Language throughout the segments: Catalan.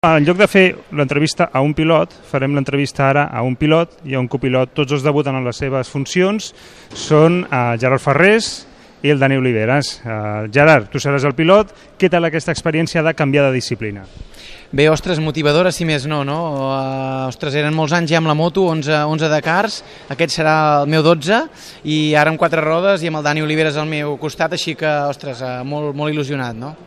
En lloc de fer l'entrevista a un pilot, farem l'entrevista ara a un pilot i a un copilot. Tots dos debuten en les seves funcions. Són Gerard Ferrés i el Dani Oliveras. Gerard, tu seràs el pilot. Què tal aquesta experiència de canviar de disciplina? Bé, ostres, motivadora si més no, no? Ostres, eren molts anys ja amb la moto, 11 Dakars, aquest serà el meu 12, i ara amb 4 rodes i amb el Dani Oliveras al meu costat, així que, ostres, molt il·lusionat, no?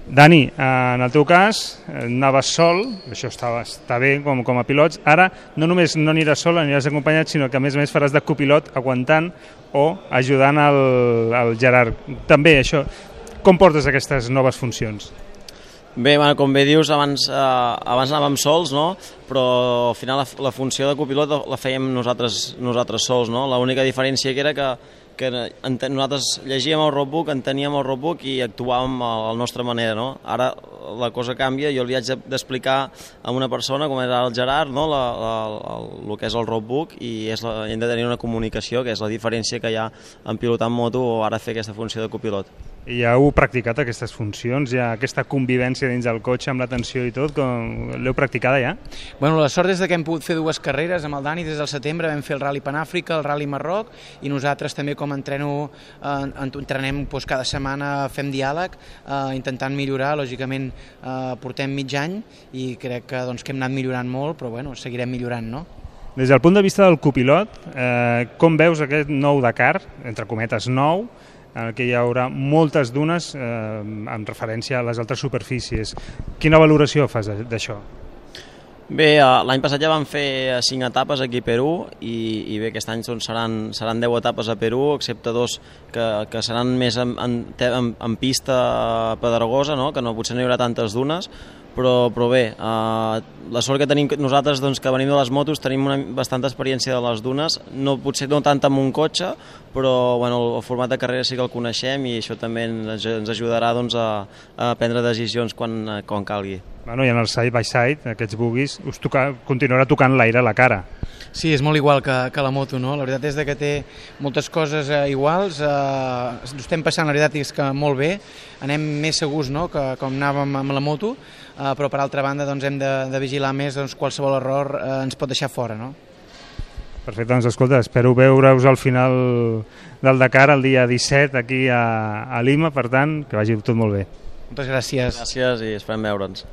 Dani, en el teu cas, anaves sol, això està bé com a pilots. Ara no només no aniràs sol, aniràs acompanyat, sinó que a més faràs de copilot aguantant o ajudant el Gerard. També això, com portes aquestes noves funcions? Bé, com bé dius, abans anàvem sols, no? Però al final la funció de copilot la fèiem nosaltres sols, no? L'única diferència que era que nosaltres llegíem el roadbook, enteníem el roadbook i actuàvem a la nostra manera, no? Ara la cosa canvia, jo li haig d'explicar a una persona, com era el Gerard, no? El que és el roadbook, i hem de tenir una comunicació, que és la diferència que hi ha en pilotar en moto o ara fer aquesta funció de copilot. I ja heu practicat aquestes funcions, ja aquesta convivència dins del cotxe amb la tensió i tot, l'heu practicada ja? Bueno, la sort és que hem pogut fer 2 carreres amb el Dani des del setembre, vam fer el Rally Panàfrica, el Rally Marroc, i nosaltres també com entrenem cada setmana, fem diàleg, intentant millorar, lògicament portem mig any i crec que hem anat millorant molt, però bueno, seguirem millorant, no? Des del punt de vista del copilot, com veus aquest nou Dakar, entre cometes nou, en què hi haurà moltes dunes en referència a les altres superfícies? Quina valoració fas d'això? Bé, l'any passat ja vam fer 5 etapes aquí a Perú i bé, aquest any seran 10 etapes a Perú, excepte 2 que seran més en pista pedregosa, no? Que potser no hi haurà tantes dunes, però bé, la sort que tenim nosaltres que venim de les motos, tenim bastanta experiència de les dunes, potser no tant amb un cotxe, però el format de carrera sí que el coneixem i això també ens ajudarà a prendre decisions quan calgui. I en el side by side, aquests bogies, us continuarà tocant l'aire a la cara. Sí, és molt igual que la moto, no? La veritat és que té moltes coses iguals, ho estem passant, la veritat és que molt bé, anem més segurs, no?, que com anàvem amb la moto, però per altra banda hem de vigilar més, qualsevol error ens pot deixar fora, no? Perfecte, doncs escolta, espero veure-us al final del Dakar el dia 17 aquí a Lima, per tant, que vagi tot molt bé. Moltes gràcies. Gràcies i esperem veure'ns.